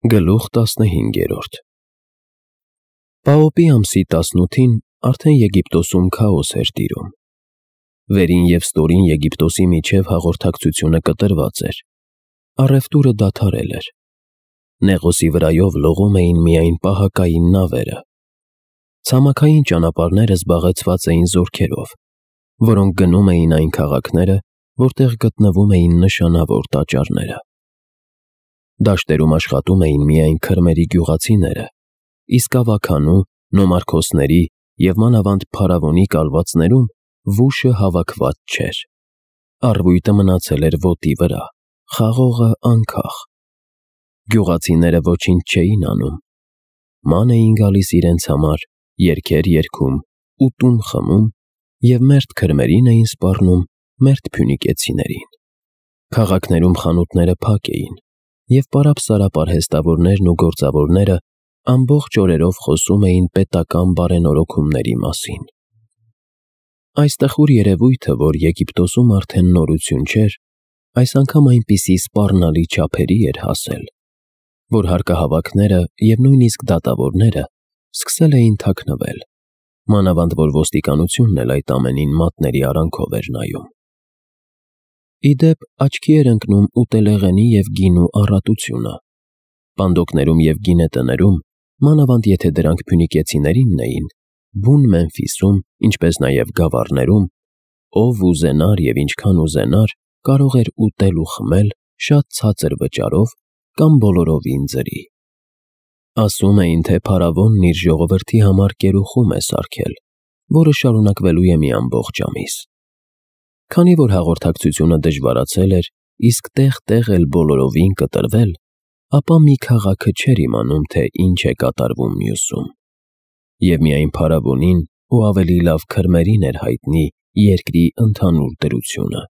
Գլուխ 15 Պաոպի ամսի 18-ին արդեն Եգիպտոսում քաոս էր տիրում։ Վերին և ստորին Եգիպտոսի միջև հաղորդակցությունը կտրված էր, առևտուրը դադարել էր, Նեղոսի վրայով լողում էին միայն պահակային նավերը, ցամաքային ճանապարհները զբաղեցված էին զորքերով, որոնք գնում էին այն քաղաքները, որտեղ գտնվում էին նշանավոր տաճարները։ Դաշտերում աշխատում էին միայն քրմերի գյուղացիները, իսկ ավագանու, նոմարքոսների և մանավանդ փարավոնի կալվածներում վուշը հավաքված չէր։ Առվույտը մնացել էր ոտի վրա, խաղողը անքաղ։ Գյուղացիները ոչինչ չէին անում, ման էին գալիս իրենց համար, երգեր երգում, ուտում խմում և մերթ քրմերին էին սպառնում մերթ փյունիկեցիներին։ Քաղաքներում խանութները փակ էին, և պարապ-սարապ արհեստավորներն ու գործավորները ամբողջ օրերով խոսում էին պետական բարենորոգումների մասին։ Այս տխուր երևույթը, որ Եգիպտոսում արդեն նորություն չէր, այս անգամ այնպիսի սպառնալի չափերի էր հասել, որ հարկահավաքները և նույնիսկ դատավորները սկսել էին թաքնվել, մանավանդ որ ոստիկանությունն էլ այդ ամենին մատների արանքով էր նայում։ Ի դեպ, աչքի էր ընկնում ուտելեղենի և գինու առատությունը։ Պանդոկներում և գինետներում, մանավանդ եթե դրանք փյունիկեցիներինն էին, բուն Մեմֆիսում, ինչպես նաև գավառներում, ով ուզենար և ինչքան ուզենար, կարող էր ուտել ու խմել շատ ցածր վճարով կամ բոլորովին ձրի։ Ասում էին, թե փարավոնն իր ժողովրդի համար կերուխում է սարքել, որը շարունակվելու է մի ամբողջ ամիս։ Քանի որ հաղորդակցությունը դժվարացել էր, իսկ տեղ-տեղ էլ բոլորովին կտրվել, ապա մի քաղաքը չէր իմանում, թե ինչ է կատարվում մյուսում։ Եվ միայն փարավոնին ու ավելի լավ քրմերին էր հայտնի երկրի ընդհանուր դրությունը։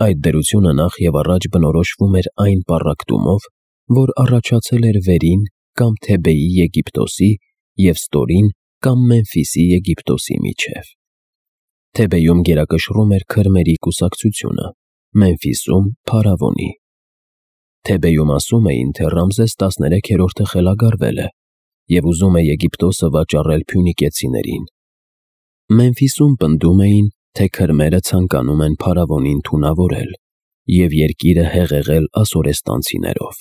Այդ դրությունը նախ և առաջ բնորոշվում էր այն պառակտումով, որ առաջացել էր Վերին կամ Թեբեի Եգիպտոսի և Ստորին կամ Մեմֆիսի Եգիպտոսի միջև։ Թեբեյում գերակշռում էր քրմերի կուսակցությունը, Մեմֆիսում՝ փարավոնի։ Թեբեյում ասում էին, թե Ռամզես 13-րդը խելագարվել է և ուզում է Եգիպտոսը վաճառել փյունիկեցիներին։ Մեմֆիսում պնդում էին, թե քրմերը ցանկանում են փարավոնին թունավորել և երկիրը հեղեղել ասորեստանցիներով։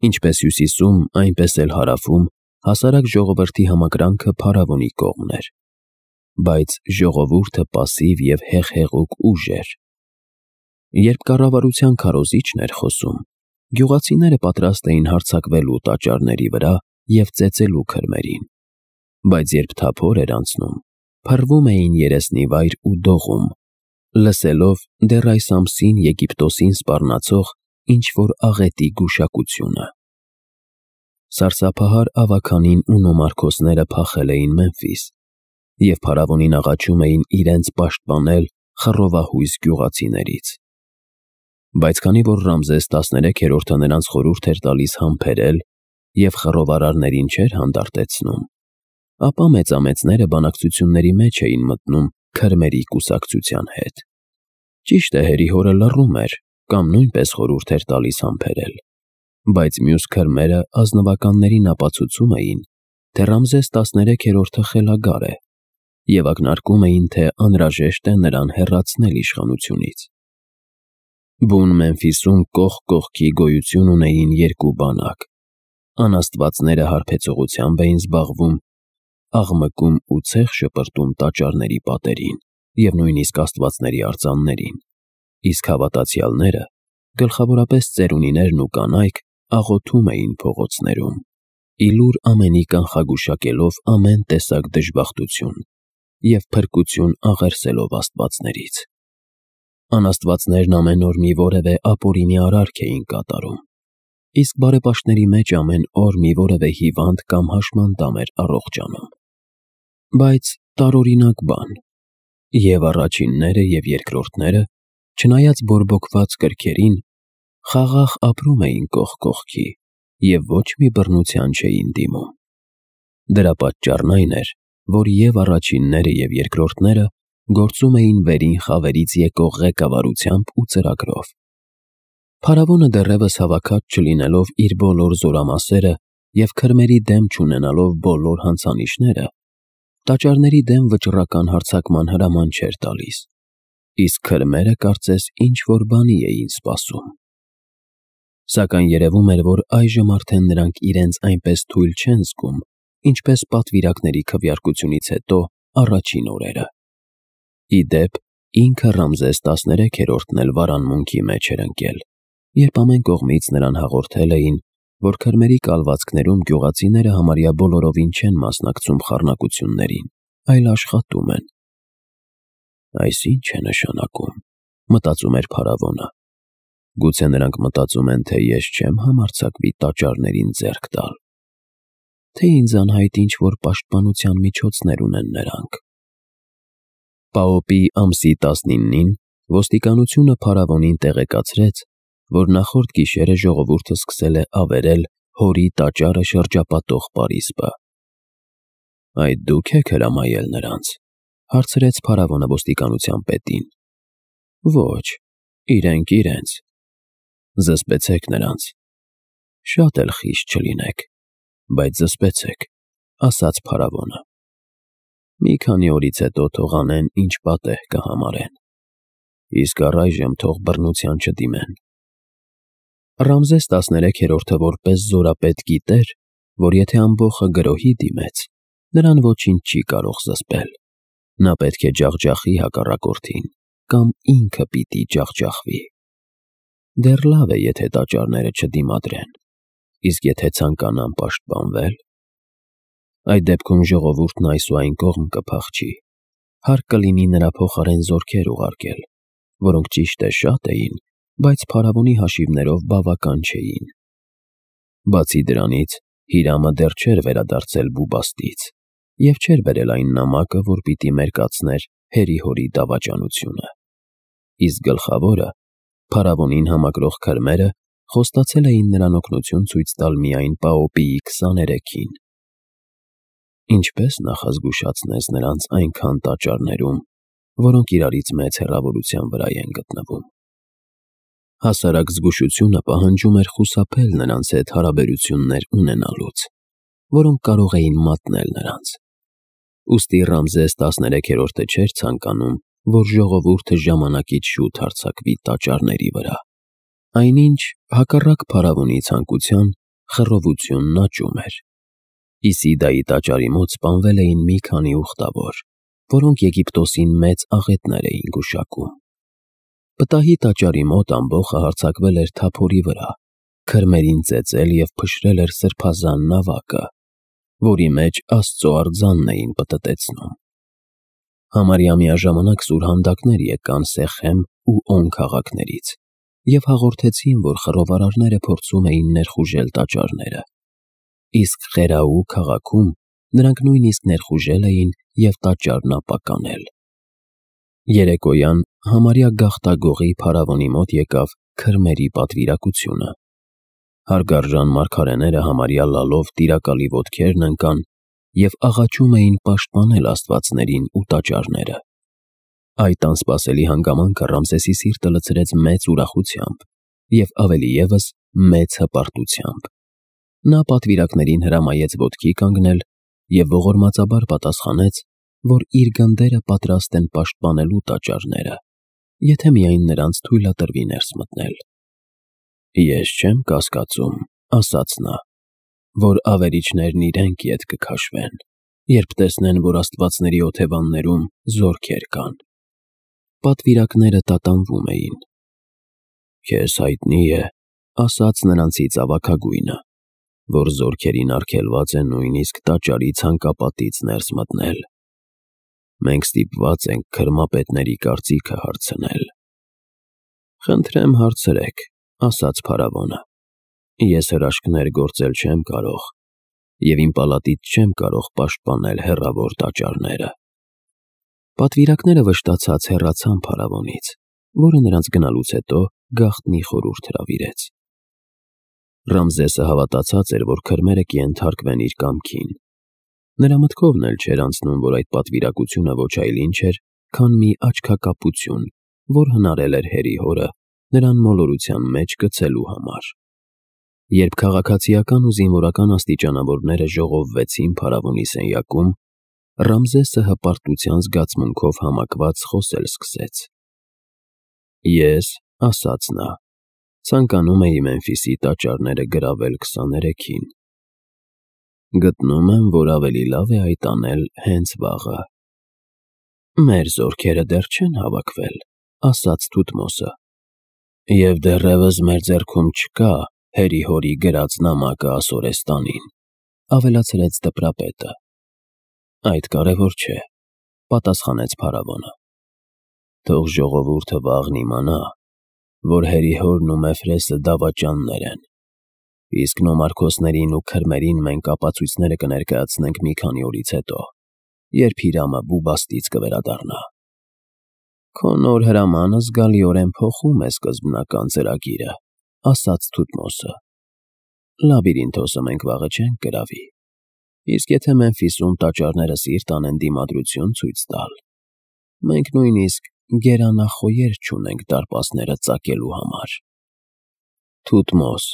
Ինչպես հյուսիսում, այնպես էլ հարավում հասարակ ժողովրդի համակրանքը փարավոնի կողմն էր, բայց ժողովուրդը պասիվ և հեղեղուկ ուժ էր։ Երբ կառավարության քարոզիչն էր խոսում, գյուղացիները պատրաստ էին հարձակվելու տաճարների վրա և ծեծելու քրմերին, բայց երբ թափոր էր անցնում, փռվում էին երեսնիվայր ու դողում, լսելով դեռ այս ամսին Եգիպտոսին սպառնացող ինչ-որ աղետի գուշակությունը։ Սարսափահար ավագանին ու նոմարքոսները փախել էին Մեմֆիս և փարավոնին աղաչում էին իրենց պաշտպանել խռովահույս գյուղացիներից։ Բայց քանի որ Ռամզես 13-րդը նրանց խորհուրդ էր տալիս համբերել և խռովարարներին չէր հանդարտեցնում, ապա մեծամեծները բանակցությունների մեջ էին մտնում քրմերի կուսակցության հետ։ Ճիշտ է, հերի հորը լռում էր կամ նույնպես խորհուրդ էր տալիս համբերել, բայց մյուս քրմերը ազնվականներին ապացուցում էին, թե Ռամզես 13-րդը խելագար է և ակնարկում էին, թե անհրաժեշտ է նրան հեռացնել իշխանությունից։ Բուն Մեմֆիսում կողք կողքի գոյություն ունեին երկու բանակ։ Անաստվածները հարբեցողությամբ էին զբաղվում, աղմկում ու ցեխ շպրտում տաճարների պատերին և նույնիսկ աստվածների արձաններին, իսկ հավատացյալները, գլխավորապես ծերունիներն ու կանայք, աղոթում էին փողոցներում, ի լուր ամենի կանխագուշակելով ամեն տեսակ դժբախտություն և փրկություն աղերսելով աստվածներից։ Անաստվածներն ամեն օր մի որևէ ապօրինի արարք էին կատարում, իսկ բարեպաշտների մեջ ամեն օր մի որևէ հիվանդ կամ հաշմանդամ էր առողջանում։ Բայց տարօրինակ բան, և առաջինները և երկրորդները, չնայած բորբոքված կրքերին, խաղաղ ապրում էին կողք կողքի և ոչ մի բռնության չէին դիմում։ Դրա պատճառն այն էր, որ և առաջինները և երկրորդները գործում էին վերին խավերից եկող ղեկավարությամբ ու ծրագրով։ Փարավոնը դեռևս հավաքած չլինելով իր բոլոր զորամասերը և քրմերի դեմ չունենալով բոլոր հանցանիշները, տաճարների դեմ վճռական հարձակման հրաման չէր տալիս, իսկ քրմերը կարծես ինչ-որ բանի էին սպասում։ Սակայն երևում էր, որ այժմ արդեն նրանք իրենց այնպես թույլ չեն զգում, ինչպես պատվիրակների քվեարկությունից հետո առաջին օրերը։ Ի դեպ, ինքը Ռամզես 13-րդն էլ վարանմունքի մեջ էր ընկել, երբ ամեն կողմից նրան հաղորդել էին, որ քրմերի կալվածքներում գյուղացիները համարյա բոլորովին չեն մասնակցում խառնակություններին, այլ աշխատում են։ Այս ի՞նչ է նշանակում, մտածում էր փարավոնը։ Գուցե նրանք մտածում են, թե ես չեմ համարձակվի տաճարներին ձեռք տալ, թե ինձ անհայտ ինչ-որ պաշտպանության միջոցներ ունեն նրանք։ Պաոպի ամսի 19-ին ոստիկանությունը փարավոնին տեղեկացրեց, որ նախորդ գիշերը ժողովուրդը սկսել է ավերել հորի տաճարը շրջապատող պարիսպը։ Այդ դուք եք հրամայել նրանց, հարցրեց փարավոնը ոստիկանության պետին։ Ոչ, իրենց։ Զսպեցեք նրանց։ Շատ էլ խիստ չլինեք, բայց զսպեցեք, ասաց փարավոնը։ Մի քանի օրից հետո թող անեն, ինչ պատեհ կհամարեն, իսկ առայժմ թող բռնության չդիմեն։ Ռամզես 13-րդը որպես զորապետ գիտեր, որ եթե ամբոխը գրոհի դիմեց, նրան ոչինչ չի կարող զսպել։ Նա պետք է ջախջախի հակառակորդին, կամ ինքը պիտի ջախջախվի։ Դեռ լավ է, եթե տաճարները չդիմադրեն, իսկ եթե ցանկանան պաշտպանվել, այդ դեպքում ժողովուրդն այս ու այն կողմ կփախչի, հարկ կլինի նրա փոխարեն զորքեր ուղարկել, որոնք ճիշտ է շատ էին, բայց փարավոնի հաշիվներով բավական չէին։ Բացի դրանից, Հիրամը դեռ չէր վերադարձել Բուբաստից և չէր բերել այն նամակը, որ պիտի մերկացներ հերի-հորի դավաճանությունը։ Իսկ գլխավորը, փարավոնին համակրող քրմերը խոստացել էին նրան օգնություն ցույց տալ միայն Պաոպիի 23-ին։ Ինչպես նախազգուշացնես նրանց այնքան տաճարներում, որոնք իրարից մեծ հեռավորության վրա են գտնվում։ Հասարակ զգուշությունը պահանջում էր խուսափել նրանց հետ հարաբերություններ ունենալուց, որոնք կարող էին մատնել նրանց։ Ուստի Ռամզես 13-րդը չէր ցանկանում, որ ժողովուրդը ժամանակից շուտ հարձակվի տաճարների վրա։ Այնինչ, հակառակ փարավոնի ցանկության, խռովությունն աճում էր։ Իսիդայի տաճարի մոտ սպանվել էին մի քանի ուխտավոր, որոնք Եգիպտոսին մեծ աղետներ էին գուշակում։ Պտահի տաճարի մոտ ամբոխը հարձակվել էր թափորի վրա, քրմերին ծեծել և փշրել էր սրբազան նավակը, որի մեջ Աստծո արձանն էին պտտեցնում։ Համարյա միաժամանակ սուրհանդակներ եկան Սեխեմ ու On քաղաքներից և հաղորդեցին, որ խռովարարները փորձում էին ներխուժել տաճարները, իսկ Խերաու քաղաքում նրանք նույնիսկ ներխուժել էին և տաճարն ապականել։ Երեկոյան համարյա գաղտագողի փարավոնի մոտ եկավ քրմերի պատվիրակությունը։ Հարգարժան մարգարեները համարյա լալով տիրակալի ոտքերն ընկան և աղաչում էին պաշտպանել աստվածներին ու տաճարները։ Այդ անսպասելի հանգամանքը Ռամզեսի սիրտը լցրեց մեծ ուրախությամբ և ավելի ևս մեծ հպարտությամբ։ Նա պատվիրակներին հրամայեց ոտքի կանգնել և ողորմածաբար պատասխանեց, որ իր գնդերը պատրաստ են պաշտպանելու տաճարները, եթե միայն նրանց թույլատրվի ներս մտնել։ Ես չեմ կասկածում, ասաց նա, որ ավերիչներն իրենք ետ կքաշվեն, երբ տեսնեն, որ աստվածների օթևաններում զորքեր կան։ Պատվիրակները տատանվում էին։ Քեզ հայտնի է, ասաց նրանցից ավագագույնը, որ զորքերին արգելված է նույնիսկ տաճարի ցանկապատից ներս մտնել։ Մենք ստիպված ենք քրմապետների կարծիքը հարցնել։ Խնդրեմ հարցրեք, ասաց փարավոնը։ Ես հրաշքներ գործել չեմ կարող և իմ պալատից չեմ կարող պաշտպանել հեռավոր տաճարները։ Պատվիրակները վշտացած հեռացան փարավոնից, որը նրանց գնալուց հետո գաղտնի խորհուրդ հրավիրեց։ Ռամզեսը հավատացած էր, որ քրմերը կենթարկվեն իր կամքին։ Նրա մտքովն էլ չէր անցնում, որ այդ պատվիրակությունը ոչ այլ ինչ էր, քան մի աչքակապություն, որ հնարել էր հերի հորը նրան մոլորության մեջ գցելու համար։ Երբ քաղաքացիական ու զինվորական աստիճանավորները ժողովվեցին փարավոնի սենյակում, Ռամզեսը հպարտության զգացմունքով համակված խոսել սկսեց. «Ես, ասաց նա, ցանկանում էի Մեմֆիսի տաճարները գրավել 23-ին։ Գտնում եմ, որ ավելի լավ է այդ անել հենց վաղը»։ «Մեր զորքերը դեռ չեն հավաքվել», ասաց Թութմոսը, «և դեռևս մեր ձեռքում չկա հերի-հորի գրած նամակը Ասորեստանին», ավելացրեց դպրապետը։ «Այդ կարևոր չէ», պատասխանեց փարավոնը։ «Թող ժողովուրդը վաղն իմանա, որ հերի-հորն ու Մեֆրեսը դավաճաններ են, իսկ նոմարքոսներին ու քրմերին մենք ապացույցները կներկայացնենք մի քանի օրից հետո, երբ Հիրամը Բուբաստից կվերադառնա»։ «Քո նոր հրամանը զգալիորեն փոխում է սկզբնական ծրագիրը», ասաց Թութմոսը։ «Լաբիրինթոսը մենք վաղը չենք գրավի, իսկ եթե Մեմֆիսում տաճարները սիրտ անեն դիմադրություն ցույց տալ, մենք նույնիսկ գերանախոյեր չունենք դարպասները ծակելու համար»։ «Թութմոս»,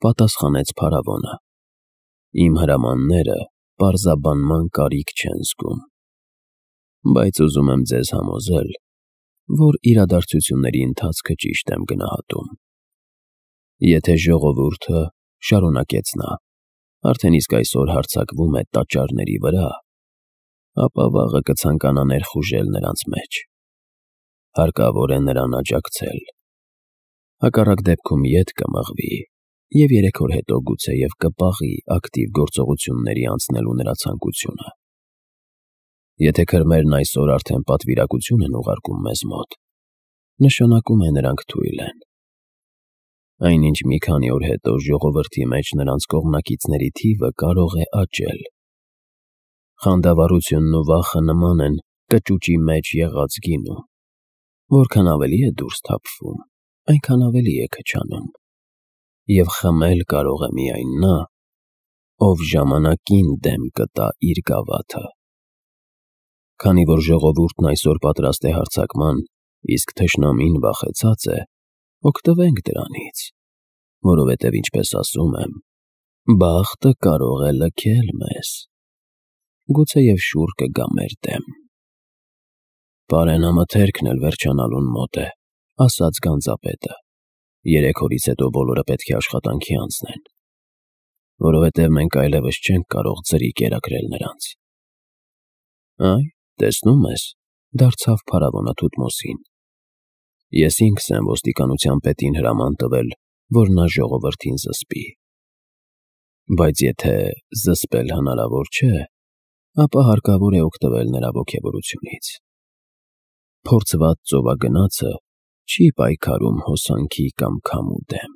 պատասխանեց փարավոնը, «իմ հրամանները պարզաբանման կարիք չեն զգում, բայց ուզում եմ ձեզ համոզել, որ իրադարձությունների ընթացքը ճիշտ եմ գնահատում։ Եթե ժողովուրդը, շարունակեց նա, արդեն իսկ այսօր հարձակվում է տաճարների վրա, ապա վաղը կցանկանա ներխուժել նրանց մեջ։ Հարկավոր է նրան աջակցել։ Հակառակ դեպքում ետ կմղվի և 3 օր հետո գուցեև կպաղի ակտիվ գործողությունների անցնելու նրա ցանկությունը։ Եթե քրմերն այսօր արդեն պատվիրակություն են ուղարկում մեզ մոտ, նշանակում է նրանք թույլ են։ Այնինչ մի քանի օր հետո ժողովրդի մեջ նրանց կողմնակիցների թիվը կարող է աճել։ Խանդավառությունն ու վախը նման են կճուճի մեջ եղած գինու, որքան ավելի է դուրս թափվում, այնքան ավելի է քչանում, և խմել կարող է միայն նա, ով ժամանակին դեմ կտա իր գավաթը։ Քանի որ ժողովուրդն այսօր պատրաստ է հարձակման, իսկ թշնամին վախեցած է, օգտվենք դրանից, որովհետև, ինչպես ասում եմ, բախտը կարող է լքել մեզ, գուցեև շուռ կգա մեր դեմ։ «Պարենամթերքն էլ վերջանալուն մոտ է», ասաց գանձապետը, 3 օրից հետո բոլորը պետք է աշխատանքի անցնեն, որովհետև մենք այլևս չենք կարող ձրի կերակրել նրանց։ «Այ, տեսնում ես», դարձավ փարավոնը Թութմոսին, «ես ինքս եմ ոստիկանության պետին հրաման տվել, որ նա ժողովրդին զսպի։ Բայց եթե զսպել հնարավոր չէ, ապա հարկավոր է օգտվել նրա ոգևորությունից։ Փորձված ծովագնացը չի պայքարում հոսանքի կամ քամու դեմ,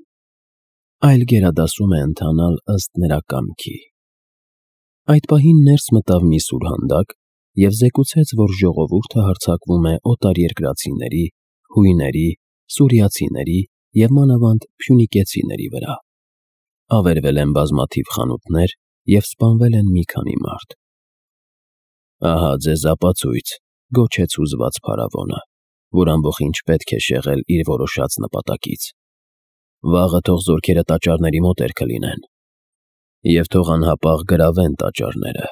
այլ գերադասում է ընթանալ ըստ նրա կամքի»։ Այդ պահին ներս մտավ մի սուրհանդակ և զեկուցեց, որ ժողովուրդը հարձակվում է օտարերկրացիների, հույների, սուրիացիների և մանավանդ փյունիկեցիների վրա։ Ավերվել են բազմաթիվ խանութներ և սպանվել են մի քանի մարդ։ «Ահա ձեզ ապացույց», գոչեց հուզված փարավոնը, որ ամբողջ պետք է շեղել իր որոշած նպատակից։ «Վաղը թող զորքերը տաճարների մոտերքը լինեն, և թող անհապաղ գրավեն տաճարները։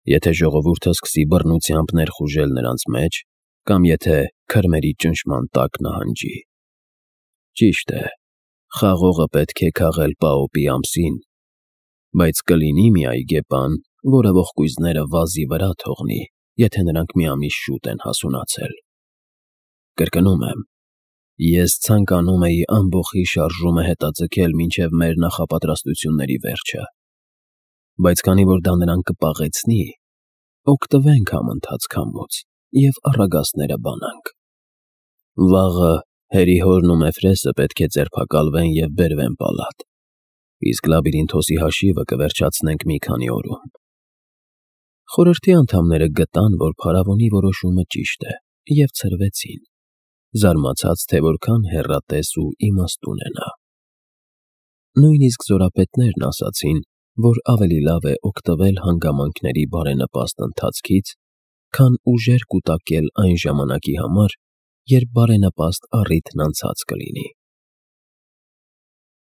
Եթե ժողովուրդը սկսի բռնությամբ ներխուժել նրանց մեջ, կամ եթե քրմերի ճնշման տակ նահանջի։ Ճիշտ է, խաղողը պետք է քաղել Պաոպի ամսին, բայց կլինի մի այգեպան, որը ողկույզները վազի վրա թողնի, եթե նրանք մի ամիս շուտ են հասունացել։ Կրկնում եմ, ես ցանկանում էի ամբոխի շարժումը հետաձգել մինչև մեր նախապատրաստությունների վերջը, բայց քանի որ դա նրան կպաղեցնի, օգտվենք համընթաց քամուց և առագաստները բանանք։ Վաղը հերի-հորն ու Մեֆրեսը պետք է ձերբակալվեն և բերվեն պալատ, իսկ Լաբիրինթոսի հաշիվը կվերջացնենք մի քանի օրում»։ Խորհրդի անդամները գտան, որ փարավոնի որոշումը ճիշտ է, և ցրվեցին, զարմացած, թե որքան հեռատես ու իմաստուն է նա։ Նույնիսկ զորապետներն ասացին, որ ավելի լավ է օգտվել հանգամանքների բարենպաստ ընթացքից, քան ուժեր կուտակել այն ժամանակի համար, երբ բարենպաստ առիթն անցած կլինի։